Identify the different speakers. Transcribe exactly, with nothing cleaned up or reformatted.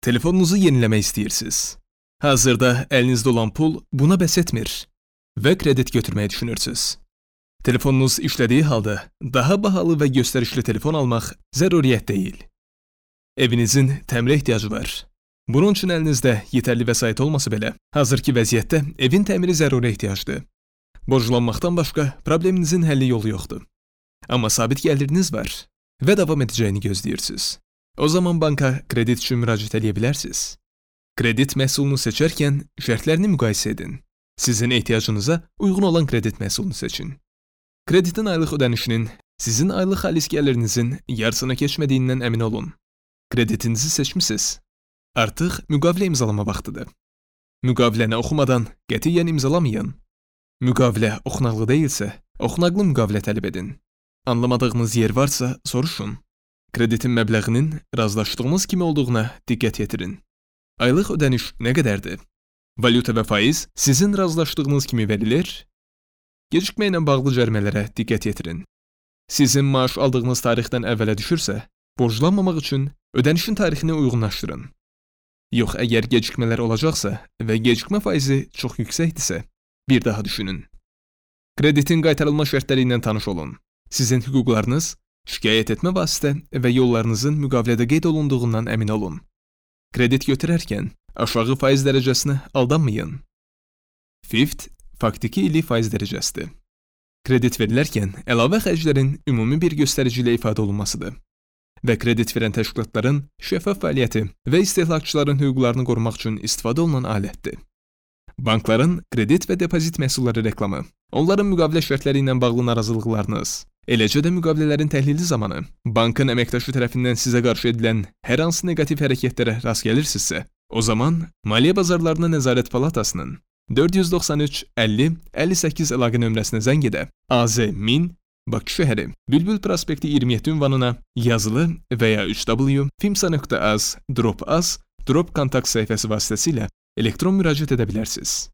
Speaker 1: Telefonunuzu yeniləmək istəyirsiniz. Hazırda əlinizdə olan pul buna bəs etmir və kredit götürməyi düşünürsünüz. Telefonunuz işlədiyi halda daha bahalı və göstərişli telefon almaq zəruriyyət deyil. Evinizin təmirə ehtiyacı var. Bunun üçün əlinizdə yetərli vəsait olmasa belə, hazırki vəziyyətdə evin təmiri zəruri ehtiyacdır. Borclanmaqdan başqa probleminizin həlli yolu yoxdur. Amma sabit gəliriniz var və davam edəcəyini gözləyirsiniz. O zaman banka kredit üçün müraciət edə bilərsiniz. Kredit məhsulunu seçərkən şərtlərini müqayisə edin. Sizin ehtiyacınıza uyğun olan kredit məhsulunu seçin. Kreditin aylıq ödənişinin sizin aylıq xalis gəlirinizin yarısına keçmədiyindən əmin olun. Kreditinizi seçmisiniz. Artıq müqavilə imzalama vaxtıdır. Müqaviləni oxumadan qətiyyən imzalamayın. Müqavilə oxunaqlı deyilsə, oxunaqlı müqavilə tələb edin. Anlamadığınız yer varsa soruşun. Kreditin məbləğinin razılaşdığınız kimi olduğuna diqqət yetirin. Aylıq ödəniş nə qədərdir? Valyuta və faiz sizin razılaşdığınız kimi verilir? Gecikmə ilə bağlı cərimələrə diqqət yetirin. Sizin maaş aldığınız tarixdən əvvələ düşürsə, borclanmamaq üçün ödənişin tarixini uyğunlaşdırın. Yox, əgər gecikmələr olacaqsa və gecikmə faizi çox yüksəkdirsə, bir daha düşünün. Kreditin qaytarılma şərtləri ilə tanış olun. Sizin hüquqlarınız, şikayət etmə vasitə və yollarınızın müqavilədə qeyd olunduğundan əmin olun. Kredit götürərkən aşağı faiz dərəcəsinə aldanmayın. Fift faktiki illik faiz dərəcəsidir. Kredit verilərkən əlavə xərclərin ümumi bir göstərici ilə ifadə olunmasıdır və kredit verən təşkilatların şəffaf fəaliyyəti və istehlakçıların hüquqlarını qorumaq üçün istifadə olunan alətdir. Bankların kredit və depozit məhsulları reklamı, onların müqavilə şərtləri ilə bağlı narazılıqlarınız, eləcə də müqavilələrin təhlili zamanı bankın əməkdaşı tərəfindən sizə qarşı edilən hər hansı neqativ hərəkətlərə rast gəlirsinizsə, o zaman Maliyyə Bazarlarına Nəzarət Palatasının dörd yüz doxsan üç əlli əlli səkkiz əlaqə nömrəsinə zəng edə A Z min Bakı şəhəri Bülbül prospekti iyirmi yeddi ünvanına yazılı və ya üç w fimsa nöqtə az drop az drop kontakt səhifəsi vasitəsilə elektron müraciət edə bilərsiniz.